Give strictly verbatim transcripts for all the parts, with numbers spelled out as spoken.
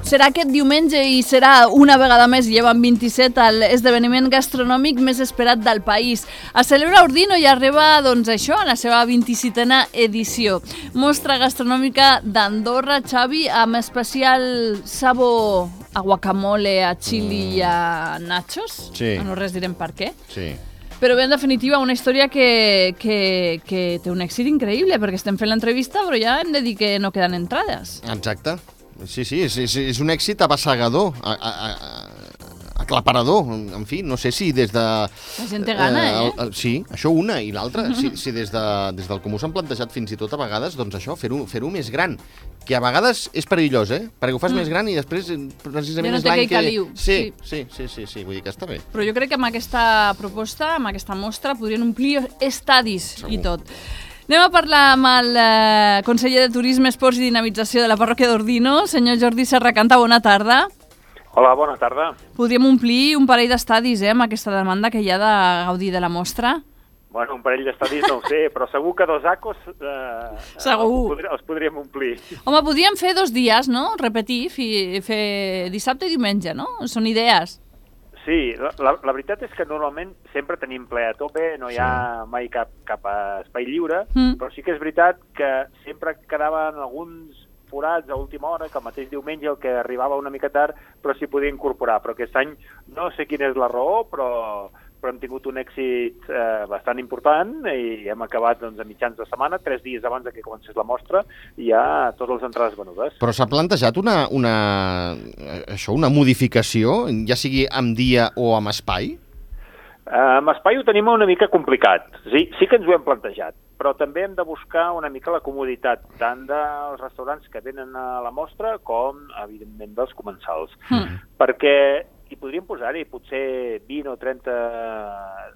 Serà aquest diumenge i serà una vegada més, llevan vint-i-set, l'esdeveniment gastronòmic més esperat del país. A celebrar Ordino i arriba, doncs això, a la seva vint-i-setena edició. Mostra gastronòmica d'Andorra, Xavi, amb especial sabor a guacamole, a chili i a nachos. Sí. No res direm per què. Sí. Però bé, en definitiva, una història que, que, que té un èxit increïble, perquè estem fent l'entrevista, però ja hem de dir que no queden entrades. Exacte. Sí, sí, és, és, és un èxit abassegador, a, a, a, aclaparador. En fi, no sé si des de... La gent té gana, eh? El, el, sí, això una. I l'altra, mm -hmm. si, si des, de, des del Comú s'han plantejat fins i tot a vegades, doncs això, fer-ho fer-ho més gran. Que a vegades és perillós, eh? Perquè ho fas mm. més gran i després precisament no és l'any que... Caliu. Sí, sí, sí, sí, sí, vull dir que està bé. Però jo crec que amb aquesta proposta, amb aquesta mostra, podrien omplir estadis Segur. I tot. Anem a parlar amb el eh, conseller de Turisme, Esports i Dinamització de la parròquia d'Ordino, senyor Jordi Serracanta, bona tarda. Hola, bona tarda. Podríem omplir un parell d'estadis, eh, amb aquesta demanda que hi ha de gaudir de la mostra? Bueno, un parell d'estadis no ho sé, però segur que dos acos eh, segur. Els, els podríem omplir. Home, podríem fer dos dies, no? Repetir, fi, fer dissabte i diumenge, no? Són idees. Sí, la, la veritat és que normalment sempre tenim ple a tope, no hi ha sí. mai cap, cap espai lliure, mm. però sí que és veritat que sempre quedaven alguns forats a última hora, que el mateix diumenge el que arribava una mica tard, però s'hi podia incorporar. Però aquest any no sé quina és la raó, però... però hem tingut un èxit eh, bastant important i hem acabat doncs, a mitjans de setmana, tres dies abans de que comencés la mostra, i ja totes les entrades venudes. Però s'ha plantejat una, una, això, una modificació, ja sigui amb dia o amb espai? Uh, amb espai ho tenim una mica complicat. Sí, sí que ens ho hem plantejat, però també hem de buscar una mica la comoditat, tant dels restaurants que venen a la mostra com, evidentment, dels comensals. Mm. Perquè hi podríem posar-hi potser vint o trenta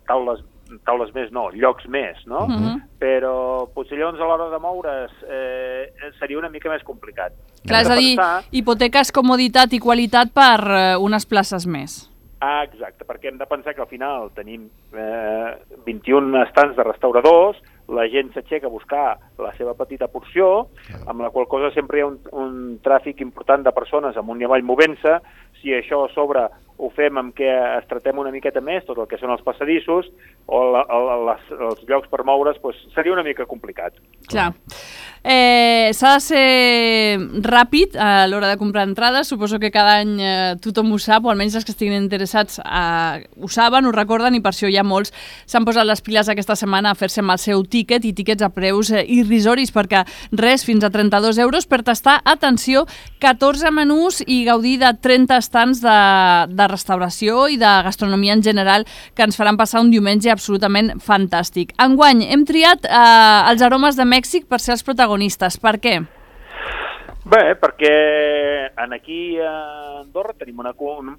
taules, taules més no, llocs més, no? Mm-hmm. Però potser llavors a l'hora de moure's eh, seria una mica més complicat. Clar, és a dir, pensar... hipoteques comoditat i qualitat per eh, unes places més. Ah, exacte, perquè hem de pensar que al final tenim eh, vint-i-un estants de restauradors, la gent s'aixeca a buscar la seva petita porció, amb la qual cosa sempre hi ha un, un tràfic important de persones amunt i avall movent-se. Si això a sobre ho fem amb què es tratem una miqueta més, tot el que són els passadissos o la, el, les, els llocs per moure's, doncs seria una mica complicat. Clar. Eh, s'ha de ser ràpid a l'hora de comprar entrades. Suposo que cada any eh, tothom ho sap, o almenys els que estiguin interessats eh, ho saben, ho recorden, i per això ja molts s'han posat les piles aquesta setmana a fer-se amb el seu tíquet, i tíquets a preus eh, irrisoris, perquè res, fins a trenta-dos euros per tastar, atenció, catorze menús i gaudir de trenta estants de, de restauració i de gastronomia en general, que ens faran passar un diumenge absolutament fantàstic. Enguany hem triat eh, els aromes de Mèxic per ser els protagonistes. Per què? Bé, perquè en aquí a Andorra tenim una,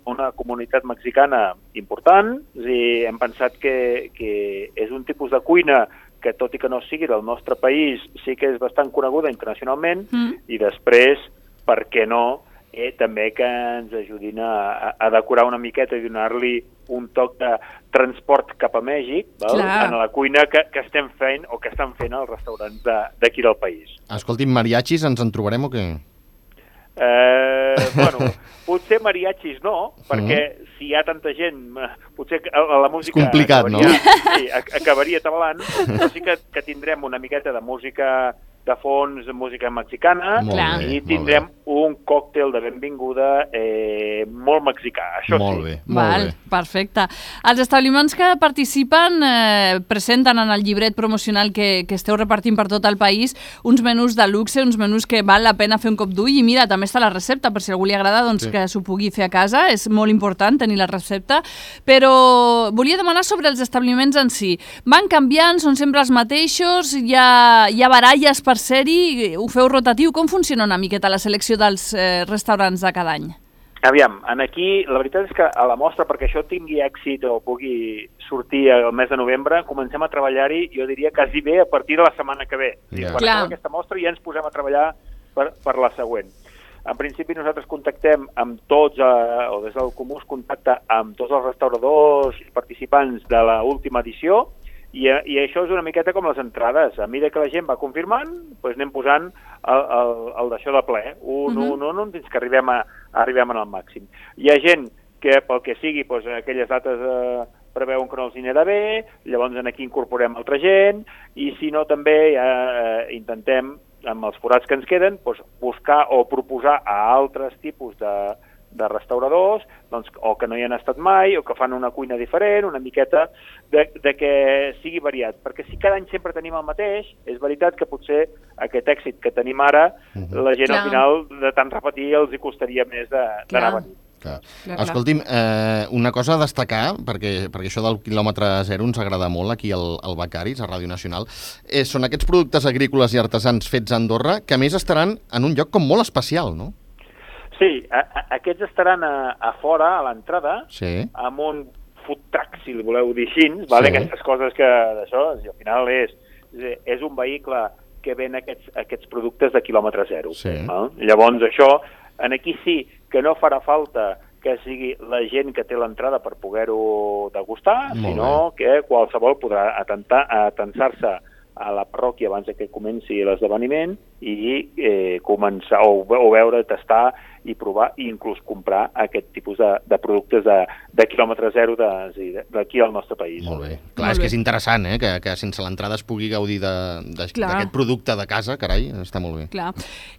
una comunitat mexicana important, i hem pensat que, que és un tipus de cuina que, tot i que no sigui del nostre país, sí que és bastant coneguda internacionalment, mm. i després, per què no, eh, també que ens ajudin a, a decorar una miqueta i donar-li un toc de transport cap a Mèxic, val? En la cuina que, que estem fent o que estan fent els restaurants d'aquí del país. Escolti'm, mariachis ens en trobarem o què? Eh, bueno, potser mariachis no, perquè uh-huh. si hi ha tanta gent, potser la música... És complicat, acabaria, no? Sí, acabaria tabalant, però sí que, que tindrem una miqueta de música de fons, música mexicana, molt i bé, tindrem un còctel de benvinguda eh, molt mexicà, això molt sí. Bé, molt Val, bé. Perfecte. Els establiments que participen eh, presenten en el llibret promocional que, que esteu repartint per tot el país uns menús de luxe, uns menús que val la pena fer un cop d'ull, i mira, també està la recepta, per si a algú li agrada, doncs sí. que s'ho pugui fer a casa. És molt important tenir la recepta, però volia demanar sobre els establiments en si. Van canviant, són sempre els mateixos, hi ha, hi ha baralles per ser-hi, ho feu rotatiu, com funciona una miqueta la selecció dels eh, restaurants de cada any? Aviam, en aquí, la veritat és que a la mostra, perquè això tingui èxit o pugui sortir el mes de novembre, comencem a treballar-hi, jo diria, quasi bé a partir de la setmana que ve. Yeah. Quan acaba aquesta mostra ja ens posem a treballar per, per la següent. En principi nosaltres contactem amb tots, eh, o des del Comú es contacta amb tots els restauradors i participants de l'última edició, I, I això és una miqueta com les entrades. A mesura que la gent va confirmant, doncs anem posant el, el, el d'això de ple, un, uh -huh. un, un, un, fins que arribem, a, arribem al màxim. Hi ha gent que, pel que sigui, doncs, aquelles dates eh, preveuen que no els anirà bé, llavors aquí incorporem altra gent, i si no també ja, eh, intentem, amb els forats que ens queden, doncs, buscar o proposar a altres tipus de de restauradors, doncs, o que no hi han estat mai, o que fan una cuina diferent, una miqueta de, de que sigui variat. Perquè si cada any sempre tenim el mateix, és veritat que potser aquest èxit que tenim ara, uh-huh. la gent clar. Al final, de tant repetir, els hi costaria més d'anar a venir. Clar. Clar, Escolti'm, eh, una cosa a destacar, perquè, perquè això del quilòmetre zero ens agrada molt aquí al, al Becaris, a Ràdio Nacional, eh, són aquests productes agrícoles i artesans fets a Andorra, que a més estaran en un lloc com molt especial, no? Sí, a, a, aquests estaran a, a fora, a l'entrada, sí. amb un food truck, si li voleu dir així, vale? Sí. Aquestes coses que d'això, al final és, és un vehicle que ven aquests, aquests productes de quilòmetre zero. Sí. Eh? Llavors això, en aquí sí que no farà falta que sigui la gent que té l'entrada per poder-ho degustar, molt sinó bé. Que qualsevol podrà atensar-se a la parròquia abans que comenci l'esdeveniment i eh, començar o, o veure, tastar i provar i inclús comprar aquest tipus de, de productes de, de quilòmetre zero d'aquí al nostre país. Molt bé. Clar, molt és bé. Que és interessant, eh? que, que sense l'entrada es pugui gaudir d'aquest producte de casa, carai, està molt bé. Clar.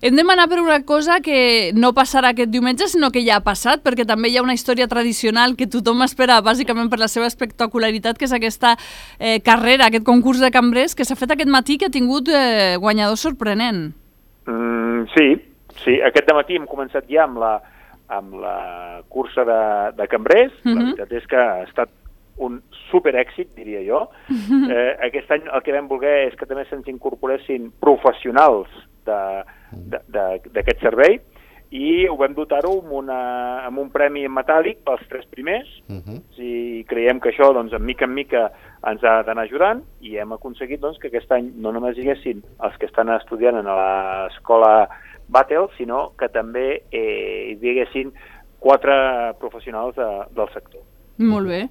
Hem demanar per una cosa que no passarà aquest diumenge, sinó que ja ha passat, perquè també hi ha una història tradicional que tothom espera, bàsicament per la seva espectacularitat, que és aquesta eh, carrera, aquest concurs de cambrers que s'ha fet aquest matí, que ha tingut eh, guanyador sorprenent. Mm, sí, sí, aquest dematí hem començat ja amb la, amb la cursa de, de cambrers. Uh-huh. La veritat és que ha estat un superèxit, diria jo. Uh-huh. Eh, aquest any el que vam voler és que també se'ns incorporessin professionals d'aquest servei i ho vam dotar-ho amb, una, amb un premi metàl·lic pels tres primers. Uh-huh. I creiem que això, doncs, en mica en mica ens ha d'anar ajudant i hem aconseguit doncs, que aquest any no només hi haguessin els que estan estudiant a l'escola Battle, sinó que també eh, hi haguessin quatre professionals de, del sector. Molt bé.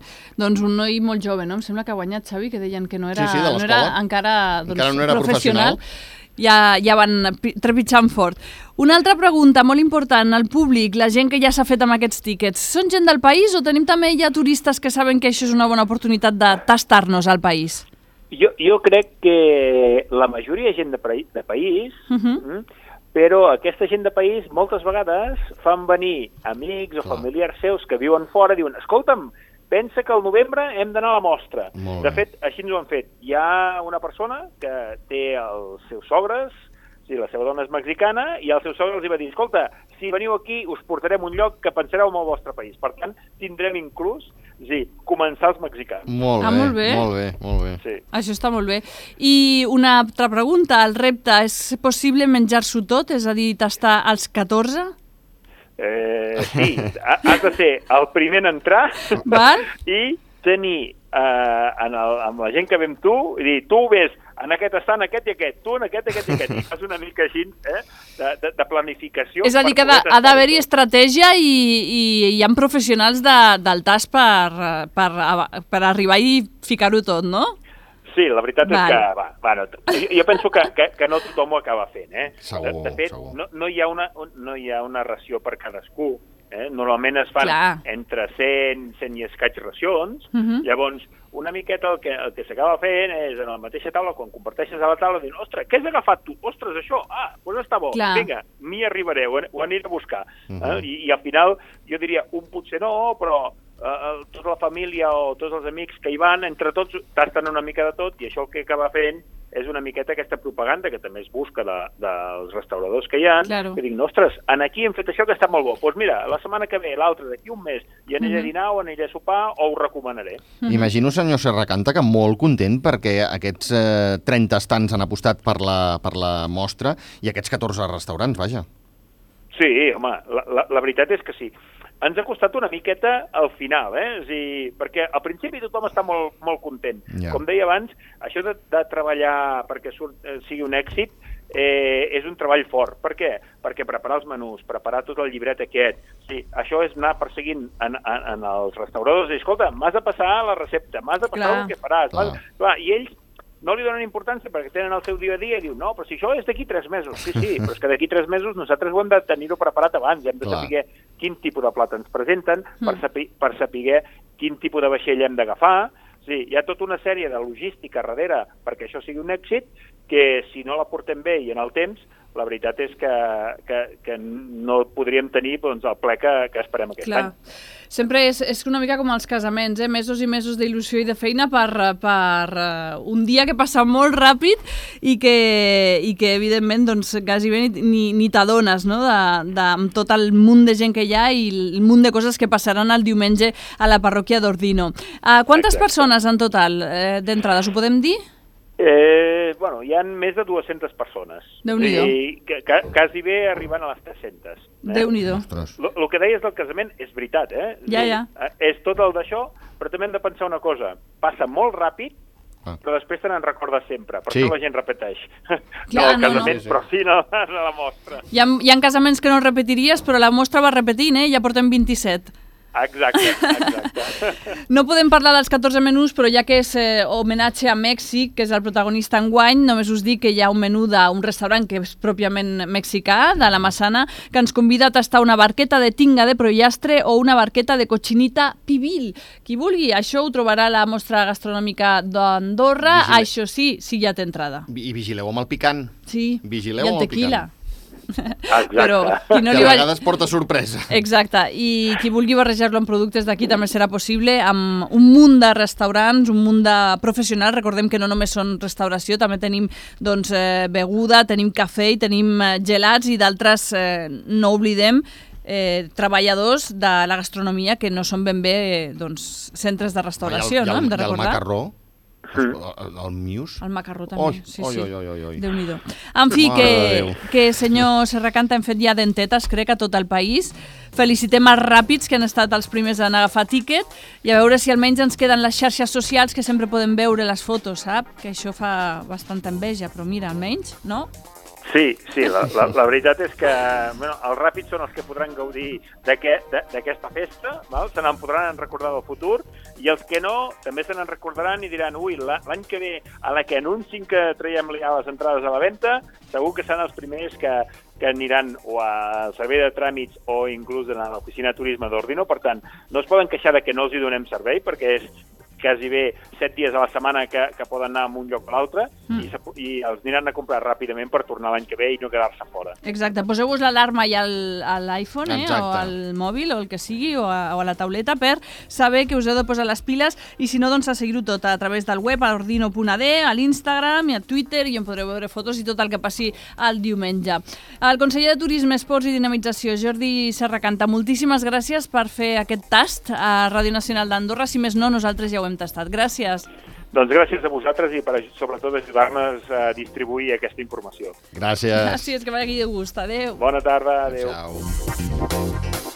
Doncs un noi molt jove, no? Em sembla que ha guanyat, Xavi, que deien que no era, sí, sí, no era encara, doncs, encara no era professional. professional. Ja, ja van trepitjant fort. Una altra pregunta molt important, el públic, la gent que ja s'ha fet amb aquests tíquets, són gent del país o tenim també ja turistes que saben que això és una bona oportunitat de tastar-nos al país? Jo, jo crec que la majoria és gent de, de país, uh-huh. però aquesta gent de país moltes vegades fan venir amics o familiars seus que viuen fora, diuen, escolta'm, pensa que al novembre hem d'anar a la mostra. De fet, així ens ho han fet. Hi ha una persona que té els seus sogres, sí, la seva dona és mexicana, i els seus sogres els va dir, escolta, si veniu aquí us portarem un lloc que pensareu en el vostre país. Per tant, tindrem inclús, sí, començar els mexicans. Molt bé, ah, molt bé, molt bé. Molt bé. Sí. Això està molt bé. I una altra pregunta, el repte, és possible menjar-s'ho tot? És a dir, tastar els catorze? Eh, sí, has de ser el primer en entrar Val? i tenir eh, en el, amb la gent que ve amb tu i dir, tu ves en aquest estant aquest i aquest, tu en aquest, aquest i aquest, i fas una mica així eh, de, de, de planificació. És a dir, que ha d'haver-hi estratègia i, i hi ha professionals de, del tas per, per, per arribar i ficar-ho tot, no? Sí, la veritat Val. és que, va, bueno, jo, jo penso que, que, que no tothom ho acaba fent, eh? Segur, de, de fet, segur. No, no, hi ha una, no hi ha una ració per cadascú, eh? Normalment es fan Clar. entre cent, cent i escaig racions, uh -huh. Llavors, una miqueta el que, el que s'acaba fent és, en la mateixa taula, quan comparteixes a la taula, dir, ostres, què has agafat tu? Ostres, això, ah, doncs està bo, Clar. vinga, m'hi arribaré, ho, ho aniré a buscar. Uh -huh. eh? I, I al final, jo diria, un potser no, però Uh, tota la família o tots els amics que hi van, entre tots tasten una mica de tot i això el que acaba fent és una miqueta aquesta propaganda que també es busca de, dels restauradors que hi ha, claro. que dic, ostres, aquí hem fet això que està molt bo, doncs pues mira, la setmana que ve, l'altra, d'aquí un mes, i aniré uh -huh. a dinar o aniré a sopar o ho recomanaré. Uh -huh. Imagino, senyor Serracanta, que molt content perquè aquests eh, trenta estants han apostat per la, per la mostra i aquests catorze restaurants, vaja. Sí, home, la, la, la veritat és que sí. Ens ha costat una miqueta al final, eh? És a dir, perquè al principi tothom està molt, molt content. Yeah. Com deia abans, això de, de treballar perquè surt, eh, sigui un èxit eh, és un treball fort. Per què? Perquè preparar els menús, preparar tot el llibret aquest, sí, això és anar perseguint en, en, en els restauradors i, escolta, m'has de passar la recepta, m'has de passar Clar. el que faràs. Clar. Clar, i ells no li donen importància perquè tenen el seu dia a dia i diu, no, però si això és d'aquí tres mesos. Sí, sí, però és que d'aquí tres mesos nosaltres ho hem de tenir-ho preparat abans, hem de Clar. saber quin tipus de plat ens presenten, Mm. per, saber, per saber quin tipus de vaixell hem d'agafar. Sí, hi ha tota una sèrie de logística darrere perquè això sigui un èxit, que si no la portem bé i en el temps, la veritat és que, que, que no podríem tenir doncs, el ple que, que esperem aquest Clar. any. Sempre és, és una mica com els casaments, eh? Mesos i mesos d'il·lusió i de feina per, per uh, un dia que passa molt ràpid i que, i que evidentment, doncs, quasi bé ni, ni, ni t'adones, no?, de, de, amb tot el munt de gent que hi ha i el munt de coses que passaran el diumenge a la parròquia d'Ordino. Uh, quantes Exacte. persones en total eh, d'entrades, ho podem dir? Eh, bueno, hi ha més de dues-centes persones. Déu-n'hi-do. I que, que, quasi bé arribant a les tres-centes. Eh? Déu-n'hi-do. Ostres. El que deies del casament és veritat, eh? Ja, ja. És tot el d'això, però també hem de pensar una cosa. Passa molt ràpid, Ah. però després te n'en recordes sempre. Per Sí. això la gent repeteix. Clar, no el no, no. casament, Sí, sí. però sí no, no la mostra. Hi ha, hi ha casaments que no repetiries, però la mostra va repetint, eh? Ja portem vint-i-set. Exacte, exacte. No podem parlar dels catorze menús, però ja que és eh, homenatge a Mèxic, que és el protagonista enguany, només us dic que hi ha un menú d'un restaurant que és pròpiament mexicà, de la Massana, que ens convida a tastar una barqueta de tinga de pollastre o una barqueta de cochinita pibil. Qui vulgui, això ho trobarà a la mostra gastronòmica d'Andorra, Vigile- això sí, sí ja té entrada. I vigileu amb el picant. Sí, Vigileu i el amb el tequila. Exacte. Però qui no que li a va... vegades porta sorpresa. Exacte, i qui vulgui barrejar-lo amb productes d'aquí també serà possible, amb un munt de restaurants, un munt de professionals. Recordem que no només són restauració, també tenim doncs, eh, beguda, tenim cafè i tenim eh, gelats i d'altres, eh, no oblidem, eh, treballadors de la gastronomia que no són ben bé eh, doncs, centres de restauració, I el, no? Hem de i el recordar. macarró, Mm. el, el mius. El macarró també, Oi, sí, oi, sí. oi, oi, oi. Déu-n'hi-do. En fi, Mare de que, Déu. que senyor Serracanta hem fet ja dentetes, crec, a tot el país. Felicitem els ràpids, que han estat els primers en agafar tíquet, i a veure si almenys ens queden les xarxes socials, que sempre podem veure les fotos, sap? Que això fa bastanta enveja, però mira, almenys, no? Sí, sí, la, la, la veritat és que bueno, els ràpids són els que podran gaudir d'aquesta festa, val? Se n'en podran recordar del futur, i els que no també se n'en recordaran i diran, ui, l'any que ve, a la que anuncin que traiem ja les entrades a la venda, segur que seran els primers que, que aniran o al servei de tràmits o inclús a l'oficina de turisme d'Ordino. Per tant, no es poden queixar de que no els hi donem servei, perquè és quasi bé set dies a la setmana que, que poden anar d'un lloc a l'altre, mm. i, se, i els aniran a comprar ràpidament per tornar l'any que ve i no quedar-se fora. Exacte, poseu-vos l'alarma ja al, a l'iPhone, eh, Exacte. o al mòbil, o el que sigui, o a, o a la tauleta, per saber que us heu de posar les piles, i si no, doncs a seguir-ho tot a través del web, a ordino punt a d, a l'Instagram i a Twitter, i on podreu veure fotos i tot el que passi el diumenge. El conseller de Turisme, Esports i Dinamització, Jordi Serracanta, moltíssimes gràcies per fer aquest tast a Ràdio Nacional d'Andorra. Si més no, nosaltres ja ho hem tastat. Gràcies. Doncs gràcies a vosaltres i per sobretot ajudar-nos a distribuir aquesta informació. Gràcies. Gràcies, que vagi de gust. Adéu. Bona tarda, adéu. Ciao.